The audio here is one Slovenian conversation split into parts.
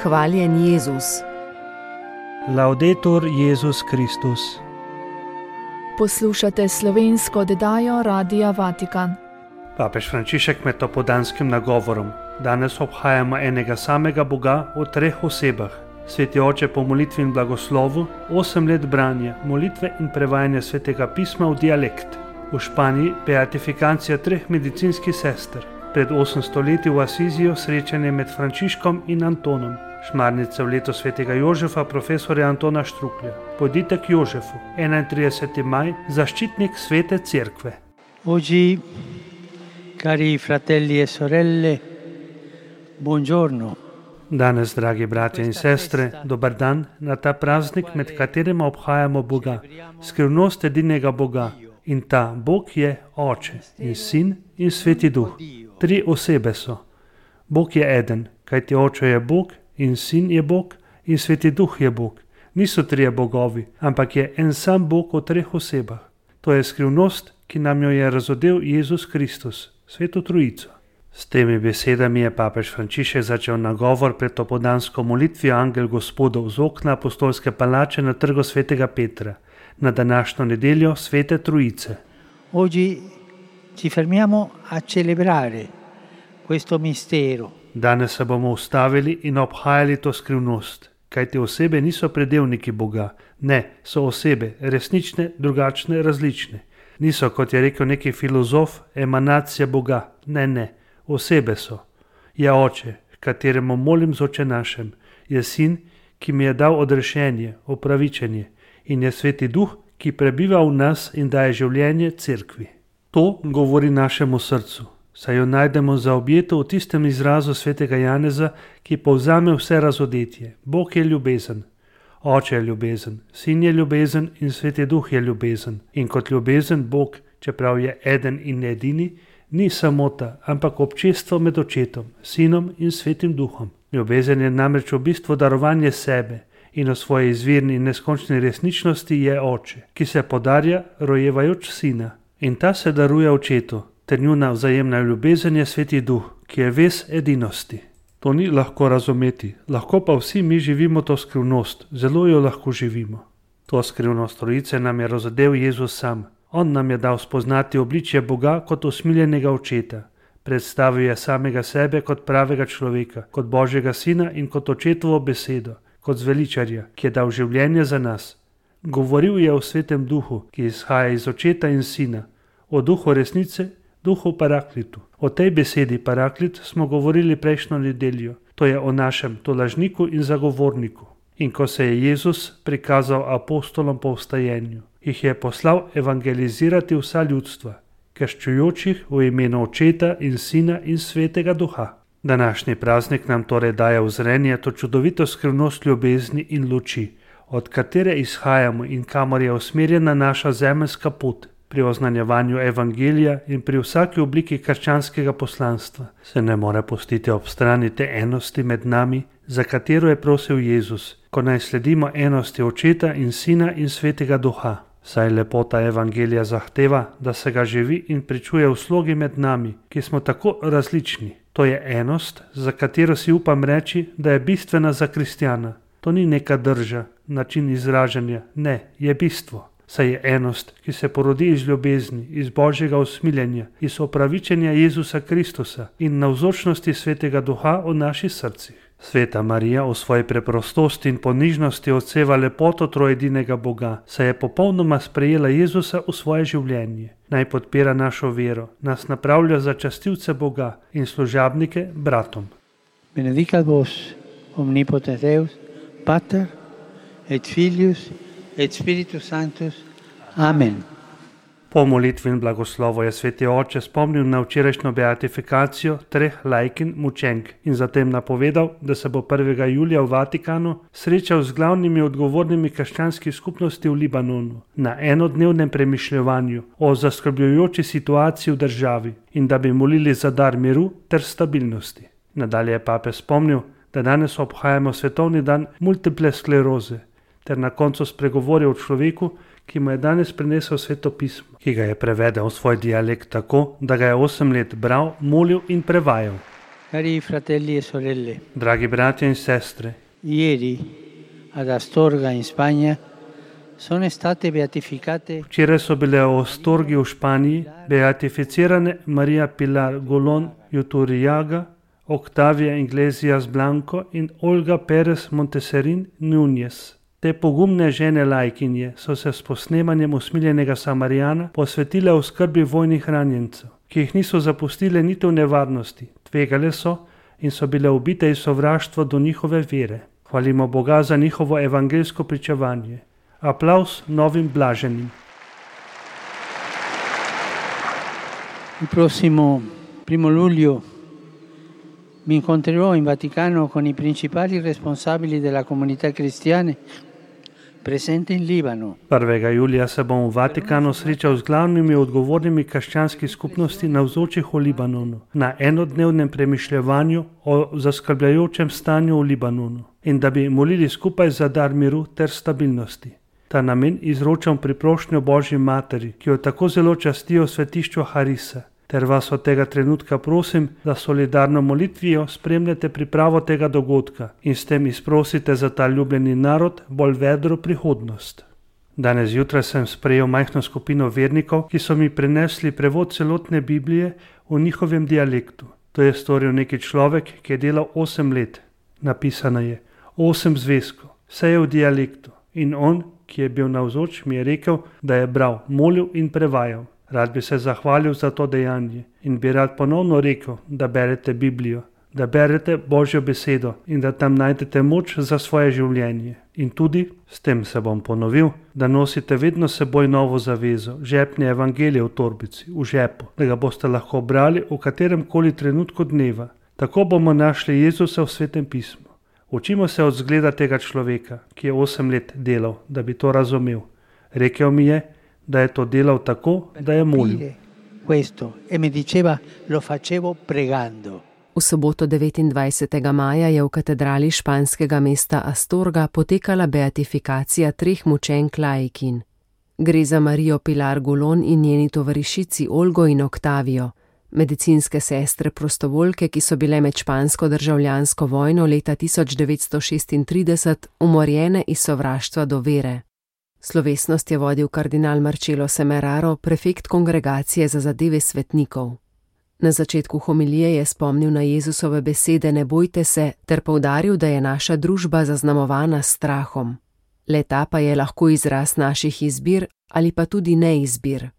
Hvaljen Jezus. Laudetur Jezus Kristus. Poslušate slovensko oddajo Radia Vatikan. Papež Frančišek med topodanskim nagovorom. Danes obhajamo enega samega Boga v treh osebah. Sveti oče po molitvi in blagoslovu, 8 let branja, molitve in prevajanja svetega pisma v dialekt. V Španiji beatifikacija 3 medicinskih sester. Pred 800 leti v Asiziju srečanje med Frančiškom in Antonom. Šmarnica v leto svetega Jožefa, profesorja Antona Štruklja. Pojdite k Jožefu, 31. maj, zaščitnik svete cerkve. Oggi, cari fratelli e sorelle, buongiorno. Danes, dragi bratje in sestre, dober dan na ta praznik, med katerim obhajamo Boga, skrivnost edinega Boga. In ta Bog je Oče in Sin in Sveti Duh. 3 osebe so. Bog je eden, kajti Oče je Bog in Sin je Bog in Sveti Duh je Bog. Niso 3 bogovi, ampak je en sam Bog v 3 osebah. To je skrivnost, ki nam jo je razodel Jezus Kristus, Sveto Trojico. S temi besedami je papež Frančišek začel nagovor pred topodansko molitvijo Angel Gospodov z okna apostolske palače na trgu svetega Petra, na današnjo nedeljo Svete Trojice. Oggi ci fermiamo a celebrare questo mistero. Danes se bomo ustavili in obhajali to skrivnost, kajti osebe niso predelniki Boga. Ne, so osebe, resnične, drugačne, različne. Niso, kot je rekel neki filozof, emanacija Boga. Ne, osebe so. Je Oče, kateremu molim z Oče našem. Je Sin, ki mi je dal odrešenje, opravičenje. In je Sveti Duh, ki prebiva v nas in daje življenje cerkvi. To govori našemu srcu, saj jo najdemo zaobjeto v tistem izrazu svetega Janeza, ki povzame vse razodetje. Bog je ljubezen, Oče je ljubezen, Sin je ljubezen in Sveti Duh je ljubezen. In kot ljubezen Bog, čeprav je eden in edini, ni samota, ampak občestvo med Očetom, Sinom in Svetim Duhom. Ljubezen je namreč v bistvu darovanje sebe, in v svoji izvirni in neskončni resničnosti je Oče, ki se podarja rojevajoč Sina. In ta se daruje Očetu, ter njuna vzajemna ljubezen je Sveti Duh, ki je ves edinosti. To ni lahko razumeti, lahko pa vsi mi živimo to skrivnost, zelo jo lahko živimo. To skrivnost Trojice nam je razodel Jezus sam. On nam je dal spoznati obličje Boga kot usmiljenega Očeta. Predstavil je samega sebe kot pravega človeka, kot Božjega Sina in kot Očetovo besedo, kot zveličarja, ki je dal življenje za nas. Govoril je o Svetem Duhu, ki izhaja iz Očeta in Sina, o Duhu resnice, Duhu Paraklitu. O tej besedi Paraklit smo govorili prejšnjo nedeljo, to je o našem tolažniku in zagovorniku. In ko se je Jezus prikazal apostolom po vstajenju, jih je poslal evangelizirati vsa ljudstva, krščujočih v imenu Očeta in Sina in Svetega Duha. Današnji praznik nam torej daje v zrenje to čudovito skrivnost ljubezni in luči, od katere izhajamo in kamor je usmerjena naša zemeljska pot. Pri oznanjevanju evangelija in pri vsaki obliki krščanskega poslanstva se ne more pustiti ob strani te enosti med nami, za katero je prosil Jezus, ko naj sledimo enosti Očeta in Sina in Svetega Duha. Saj lepota evangelija zahteva, da se ga živi in pričuje v slogi med nami, ki smo tako različni. To je enost, za katero si upam reči, da je bistvena za kristjana. To ni neka drža, način izražanja, ne, je bistvo. Saj je enost, ki se porodi iz ljubezni, iz Božjega usmiljenja, iz opravičenja Jezusa Kristusa in navzočnosti Svetega Duha v naših srcih. Sveta Marija v svoji preprostosti in ponižnosti odseva lepoto trojedinega Boga, saj je popolnoma sprejela Jezusa v svoje življenje. Naj podpira našo vero, nas napravlja za častilce Boga in služabnike bratom. Benedicat vos, omnipotens Deus, Pater, et Filius, et Spiritus Sanctus. Amen. Po molitvi in blagoslovu je Sveti Oče spomnil na včerajšnjo beatifikacijo 3 laikin mučenk in zatem napovedal, da se bo 1. julija v Vatikanu srečal z glavnimi odgovornimi krščanskih skupnosti v Libanonu na enodnevnem premišljevanju o zaskrbljujoči situaciji v državi in da bi molili za dar miru ter stabilnosti. Nadalje je papež spomnil, da danes obhajamo svetovni dan multiple skleroze ter na koncu spregovoril o človeku, ki mu je danes prinesel Sveto pismo, ki ga je prevedel v svoj dialekt tako, da ga je 8 let bral, molil in prevajal. Cari fratelli e sorelle, Dragi bratje in sestre, ieri ad Astorga in Spagna sono state beatificate včeraj so bile v Astorgi v Španiji beatificirane Maria Pilar Golon Juturriaga, Octavia Iglesias Blanco in Olga Perez Monteserin Núñez. Te pogumne žene lajkinje so se s posnemanjem Usmiljenega Samarijana posvetile v skrbi vojnih ranjencev, ki jih niso zapustile niti v nevarnosti, tvegale so in so bile ubite iz sovraštva do njihove vere. Hvalimo Boga za njihovo evangeljsko pričevanje. Aplavz novim blaženim. Il prossimo 1 luglio mi incontrerò in Vaticano con i principali responsabili della comunità cristiana presente in Libano. 1. julija se bom v Vatikanu srečal z glavnimi odgovornimi krščanskih skupnosti navzočih v Libanonu na enodnevnem premišljevanju o zaskrbljajočem stanju v Libanonu in da bi molili skupaj za dar miru ter stabilnosti. Ta namen izročam priprošnjo Božji materi, ki jo tako zelo častijo v svetišču Harisa, ter vas od tega trenutka prosim, da solidarno molitvijo spremljate pripravo tega dogodka in s tem izprosite za ta ljubljeni narod bolj vedro prihodnost. Danes zjutraj sem sprejel majhno skupino vernikov, ki so mi prinesli prevod celotne Biblije v njihovem dialektu. To je storil neki človek, ki je delal 8 let. Napisano je 8 zvezkov, vse je v dialektu in on, ki je bil navzoč, mi je rekel, da je bral, molil in prevajal. Rad bi se zahvalil za to dejanje in bi rad ponovno rekel, da berete Biblijo, da berete Božjo besedo in da tam najdete moč za svoje življenje. In tudi, s tem se bom ponovil, da nosite vedno seboj novo zavezo, žepne evangelije v torbici, v žepu, da ga boste lahko brali v katerem koli trenutku dneva. Tako bomo našli Jezusa v Svetem pismu. Učimo se od zgleda tega človeka, ki je 8 let delal, da bi to razumel. Rekel mi je, da je to delal tako, da je molil. V soboto 29. maja je v katedrali španskega mesta Astorga potekala beatifikacija 3 mučenk laikin. Gre za Marijo Pilar Golon in njeni tovarišici Olgo in Octavio, medicinske sestre prostovoljke, ki so bile med špansko državljansko vojno leta 1936 umorjene iz sovraštva do vere. Slovesnost je vodil kardinal Marcello Semeraro, prefekt Kongregacije za zadeve svetnikov. Na začetku homilije je spomnil na Jezusove besede "Ne bojte se" ter poudaril, da je naša družba zaznamovana s strahom. Le-ta pa je lahko izraz naših izbir ali pa tudi neizbir.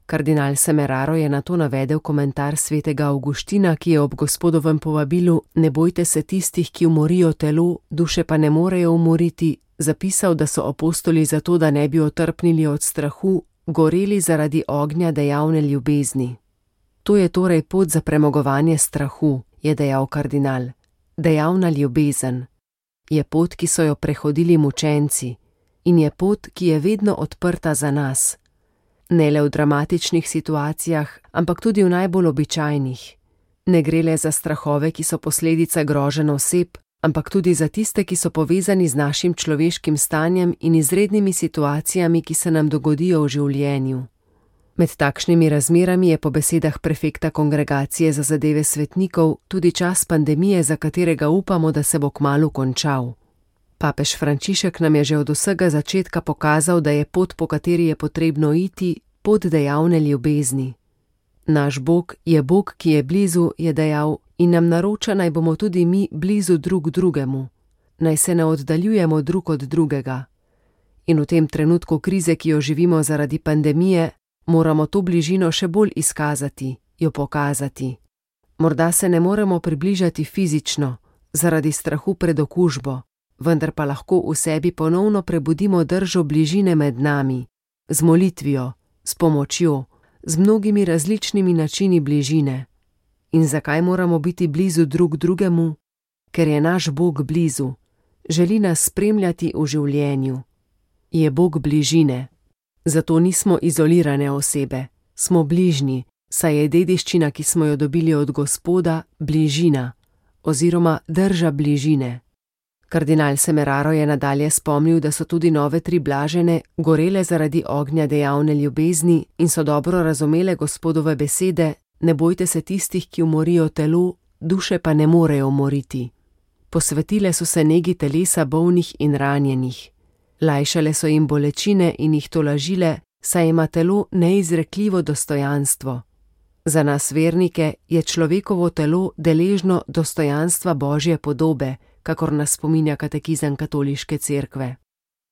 Kardinal Semeraro je nato navedel komentar svetega Avguština, ki je ob Gospodovem povabilu "Ne bojte se tistih, ki umorijo telo, duše pa ne morejo umoriti", zapisal, da so apostoli zato, da ne bi otrpnili od strahu, goreli zaradi ognja dejavne ljubezni. To je torej pot za premagovanje strahu, je dejal kardinal. Dejavna ljubezen je pot, ki so jo prehodili mučenci in je pot, ki je vedno odprta za nas. Ne le v dramatičnih situacijah, ampak tudi v najbolj običajnih. Ne gre le za strahove, ki so posledica groženj oseb, ampak tudi za tiste, ki so povezani z našim človeškim stanjem in izrednimi situacijami, ki se nam dogodijo v življenju. Med takšnimi razmerami je po besedah prefekta Kongregacije za zadeve svetnikov tudi čas pandemije, za katerega upamo, da se bo kmalu končal. Papež Frančišek nam je že od vsega začetka pokazal, da je pot, po kateri je potrebno iti, pot dejavne ljubezni. Naš Bog je Bog, ki je blizu, je dejal, in nam naroča, naj bomo tudi mi blizu drug drugemu. Naj se ne oddaljujemo drug od drugega. In v tem trenutku krize, ki jo živimo zaradi pandemije, moramo to bližino še bolj izkazati, jo pokazati. Morda se ne moremo približati fizično, zaradi strahu pred okužbo, vendar pa lahko v sebi ponovno prebudimo držo bližine med nami, z molitvijo, s pomočjo, z mnogimi različnimi načini bližine. In zakaj moramo biti blizu drug drugemu? Ker je naš Bog blizu, želi nas spremljati v življenju. Je Bog bližine. Zato nismo izolirane osebe, smo bližnji, saj je dediščina, ki smo jo dobili od Gospoda, bližina, oziroma drža bližine. Kardinal Semeraro je nadalje spomnil, da so tudi nove 3 blažene gorele zaradi ognja dejavne ljubezni in so dobro razumele Gospodove besede: "Ne bojte se tistih, ki umorijo telo, duše pa ne morejo umoriti. Posvetile so se negi telesa bolnih in ranjenih. Lajšale so jim bolečine in jih tolažile, saj ima telo neizrekljivo dostojanstvo. Za nas vernike je človekovo telo deležno dostojanstva Božje podobe, kakor nas spominja katekizem katoliške cerkve.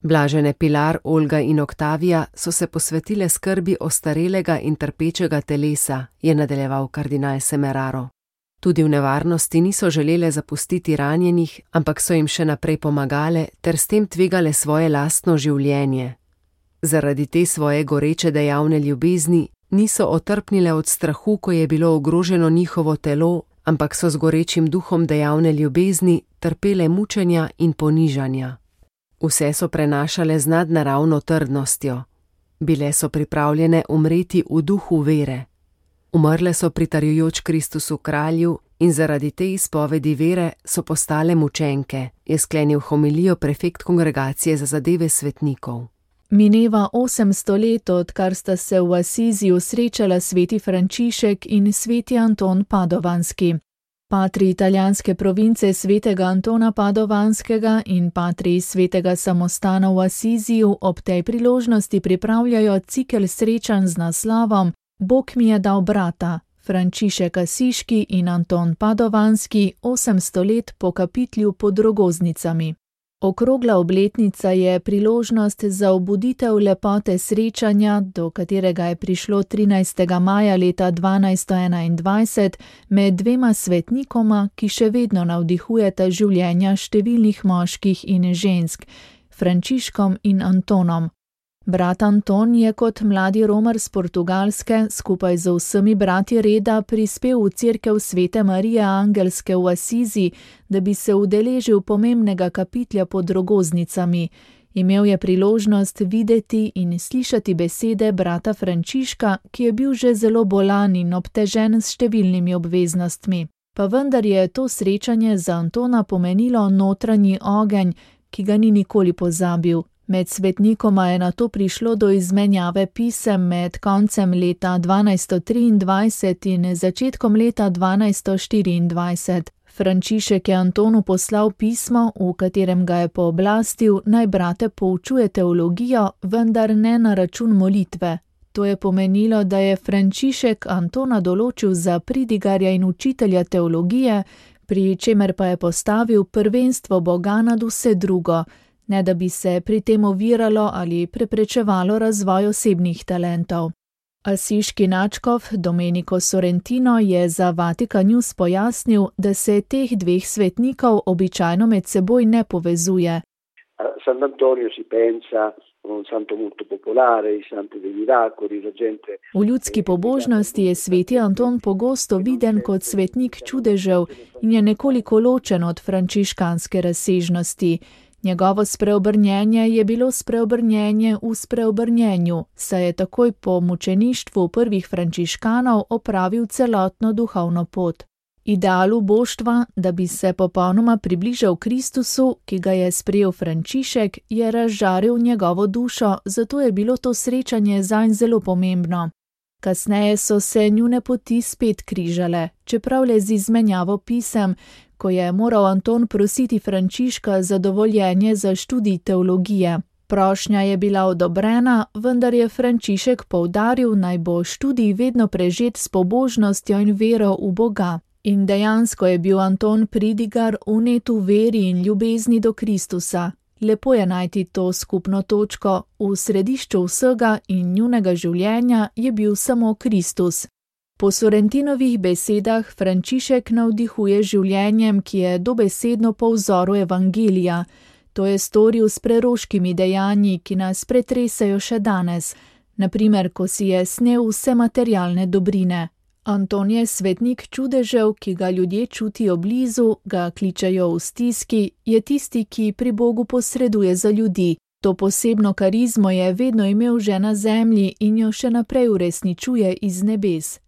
Blažene Pilar, Olga in Oktavija so se posvetile skrbi ostarelega in trpečega telesa, je nadaljeval kardinal Semeraro. Tudi v nevarnosti niso želele zapustiti ranjenih, ampak so jim še naprej pomagale ter s tem tvegale svoje lastno življenje. Zaradi te svoje goreče dejavne ljubezni niso otrpnile od strahu, ko je bilo ogroženo njihovo telo, ampak so z gorečim duhom dejavne ljubezni trpele mučenja in ponižanja. Vse so prenašale z nadnaravno trdnostjo. Bile so pripravljene umreti v duhu vere. Umrle so pritarjujoč Kristusu kralju in zaradi te izpovedi vere so postale mučenke, je sklenil homilijo prefekt kongregacije za zadeve svetnikov. Mineva 800 let, odkar sta se v Asiziju srečala sveti Frančišek in sveti Anton Padovanski. Patri italijanske province svetega Antona Padovanskega in patri svetega samostana v Asiziju ob tej priložnosti pripravljajo cikel srečanj z naslovom Bog mi je dal brata, Frančišek Asiški in Anton Padovanski 800 let po kapitlju pod Rogoznicami. Okrogla obletnica je priložnost za obuditev lepote srečanja, do katerega je prišlo 13. maja leta 1221 med dvema svetnikoma, ki še vedno navdihujeta življenja številnih moških in žensk, Frančiškom in Antonom. Brat Anton je kot mladi romar z Portugalske skupaj z vsemi brati reda prispel v cerkev Svete Marije Angelske v Asizi, da bi se udeležil pomembnega kapitlja pod Rogoznicami. Imel je priložnost videti in slišati besede brata Frančiška, ki je bil že zelo bolan in obtežen s številnimi obveznostmi. Pa vendar je to srečanje za Antona pomenilo notranji ogenj, ki ga ni nikoli pozabil. Med svetnikoma je nato prišlo do izmenjave pisem med koncem leta 1223 in začetkom leta 1224. Frančišek je Antonu poslal pismo, v katerem ga je pooblastil, naj brate poučuje teologijo, vendar ne na račun molitve. To je pomenilo, da je Frančišek Antona določil za pridigarja in učitelja teologije, pri čemer pa je postavil prvenstvo Boga nad vse drugo, ne da bi se pri tem oviralo ali preprečevalo razvoj osebnih talentov. Asiški nadškof Domenico Sorrentino je za Vatikan News pojasnil, da se teh dveh svetnikov običajno med seboj ne povezuje. V ljudski pobožnosti je sveti Anton pogosto viden kot svetnik čudežev in je nekoliko ločen od frančiškanske razsežnosti. Njegovo spreobrnjenje je bilo spreobrnjenje v spreobrnjenju, saj je takoj po mučeništvu prvih frančiškanov opravil celotno duhovno pot. Idealu boštva, da bi se popolnoma približal Kristusu, ki ga je sprejel Frančišek, je razžaril njegovo dušo, zato je bilo to srečanje zanj zelo pomembno. Kasneje so se njune poti spet križale, čeprav le z izmenjavo pisem, ko je moral Anton prositi Frančiška za dovoljenje za študij teologije. Prošnja je bila odobrena, vendar je Frančišek poudaril, naj bo študij vedno prežet s pobožnostjo in vero v Boga. In dejansko je bil Anton pridigar vnet v veri in ljubezni do Kristusa. Lepo je najti to skupno točko, v središču vsega in njunega življenja je bil samo Kristus. Po Sorrentinovih besedah Frančišek navdihuje življenjem, ki je dobesedno po vzoru evangelija. To je storil s preroškimi dejanji, ki nas pretresajo še danes, na primer, ko si je snel vse materialne dobrine. Anton je svetnik čudežev, ki ga ljudje čutijo blizu, ga kličejo v stiski, je tisti, ki pri Bogu posreduje za ljudi. To posebno karizmo je vedno imel že na zemlji in jo še naprej uresničuje iz nebes.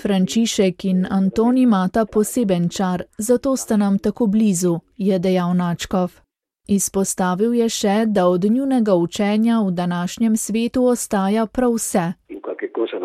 Frančišek in Anton imata poseben čar, zato sta nam tako blizu, je dejal nadškof. Izpostavil je še, da od njunega učenja v današnjem svetu ostaja prav vse.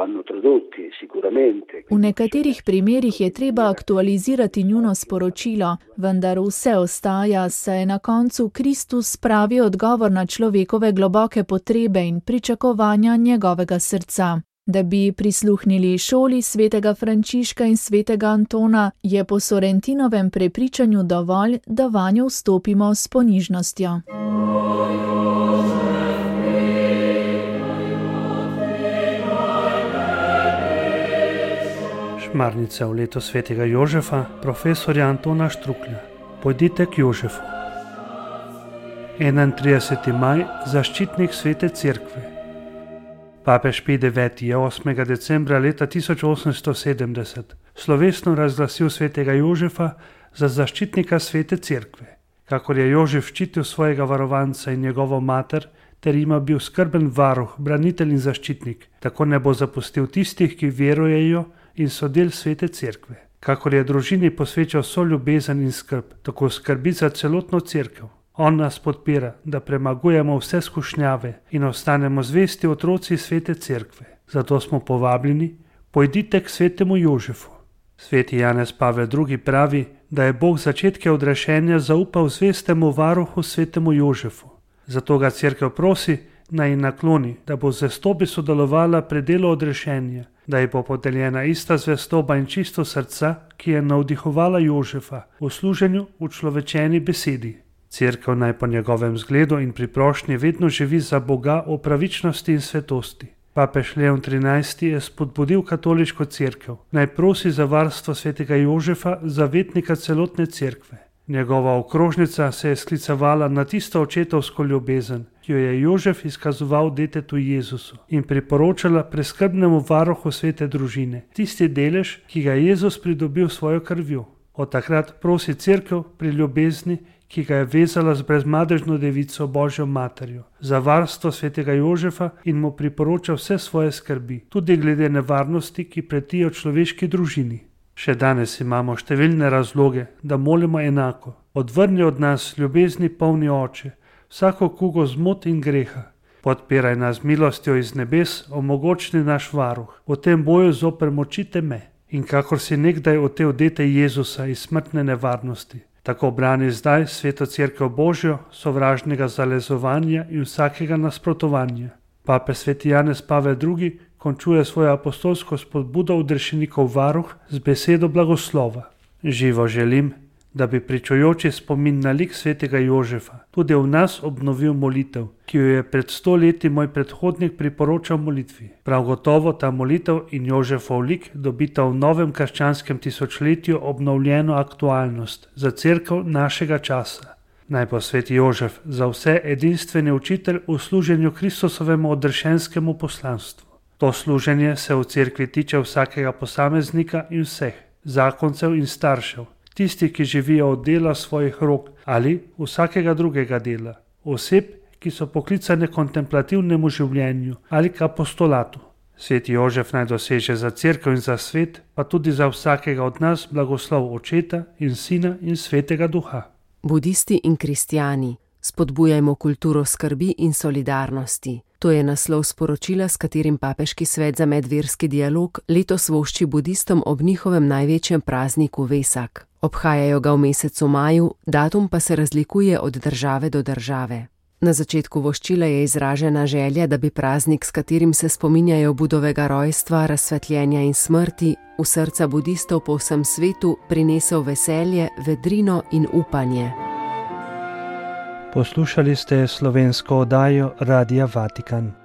vanno tradotti sicuramente. V nekaterih primerih je treba aktualizirati njuno sporočilo, vendar vse ostaja, saj na koncu Kristus pravi odgovor na človekove globoke potrebe in pričakovanja njegovega srca. Da bi prisluhnili šoli svetega Frančiška in svetega Antona, je po Sorrentinovem prepričanju dovolj, da vanjo vstopimo s ponižnostjo. Šmarnica v leto svetega Jožefa, profesorja Antona Štruklja. Pojdite k Jožefu. 31. maj, zaščitnik svete cerkve. Papež Pij IX. Je 8. decembra leta 1870 slovesno razglasil svetega Jožefa za zaščitnika svete cerkve. Kakor je Jožef ščitil svojega varovanca in njegovo mater, ter jima bil skrben varuh, branitelj in zaščitnik, tako ne bo zapustil tistih, ki verujejo in so del svete cerkve. Kakor je družini posvečal vso ljubezen in skrb, tako skrbi za celotno cerkev. On nas podpira, da premagujemo vse skušnjave in ostanemo zvesti otroci svete cerkve. Zato smo povabljeni, pojdite k svetemu Jožefu. Sveti Janez Pavel II. Pravi, da je Bog začetke odrešenja zaupal zvestemu varuhu svetemu Jožefu. Zato ga cerkev prosi, naj ji nakloni, da bo z zvestobi sodelovala pri delu odrešenja, da ji bo podeljena ista zvestoba in čisto srca, ki je navdihovala Jožefa v služenju v človečeni besedi. Cerkev naj po njegovem zgledu in pri prošnji vedno živi za Boga o pravičnosti in svetosti. Papež Leon XIII. Je spodbudil katoliško cerkev, naj prosi za varstvo svetega Jožefa, zavetnika celotne cerkve. Njegova okrožnica se je sklicevala na tisto očetovsko ljubezen, ki jo je Jožef izkazoval detetu Jezusu in priporočala preskrbnemu varuhu svete družine, tisti delež, ki ga je Jezus pridobil svojo krvjo. Od takrat prosi cerkev pri ljubezni, ki ga je vezala z brezmadežno devico Božjo materjo, za varstvo svetega Jožefa in mu priporoča vse svoje skrbi, tudi glede nevarnosti, ki pretijo človeški družini. Še danes imamo številne razloge, da molimo enako. Odvrni od nas ljubezni polni Oče, vsako kugo zmot in greha. Podpiraj nas milostjo iz nebes, omogočni naš varuh, v tem boju zoper moči teme. In kakor si nekdaj otel dete Jezusa iz smrtne nevarnosti, tako brani zdaj sveto cerkev Božjo, sovražnega zalezovanja in vsakega nasprotovanja. Papež sveti Janez Pavel II. Končuje svojo apostolsko spodbudo odrešenikov varuh z besedo blagoslova. Živo želim, da bi pričujoči spomin na lik svetega Jožefa tudi v nas obnovil molitev, ki jo je pred 100 leti moj predhodnik priporočal molitvi. Prav gotovo ta molitev in Jožefov lik dobita v novem krščanskem tisočletju obnovljeno aktualnost za cerkev našega časa. Naj bo sveti Jožef za vse edinstveni učitelj v služenju Kristusovemu odrešenskemu poslanstvu. To služenje se v cerkvi tiče vsakega posameznika in vseh, zakoncev in staršev, tistih, ki živijo od dela svojih rok ali vsakega drugega dela, oseb, ki so poklicane kontemplativnemu življenju ali k apostolatu. Sveti Jožef naj doseže za cerkev in za svet, pa tudi za vsakega od nas blagoslov Očeta in Sina in Svetega Duha. Budisti in kristjani, spodbujajmo kulturo skrbi in solidarnosti. To je naslov sporočila, s katerim Papeški svet za medverski dialog letos vošči budistom ob njihovem največjem prazniku Vesak. Obhajajo ga v mesecu maju, datum pa se razlikuje od države do države. Na začetku voščila je izražena želja, da bi praznik, s katerim se spominjajo Budovega rojstva, razsvetljenja in smrti, v srca budistov po vsem svetu prinesel veselje, vedrino in upanje. Poslušali ste slovensko oddajo Radia Vatikan.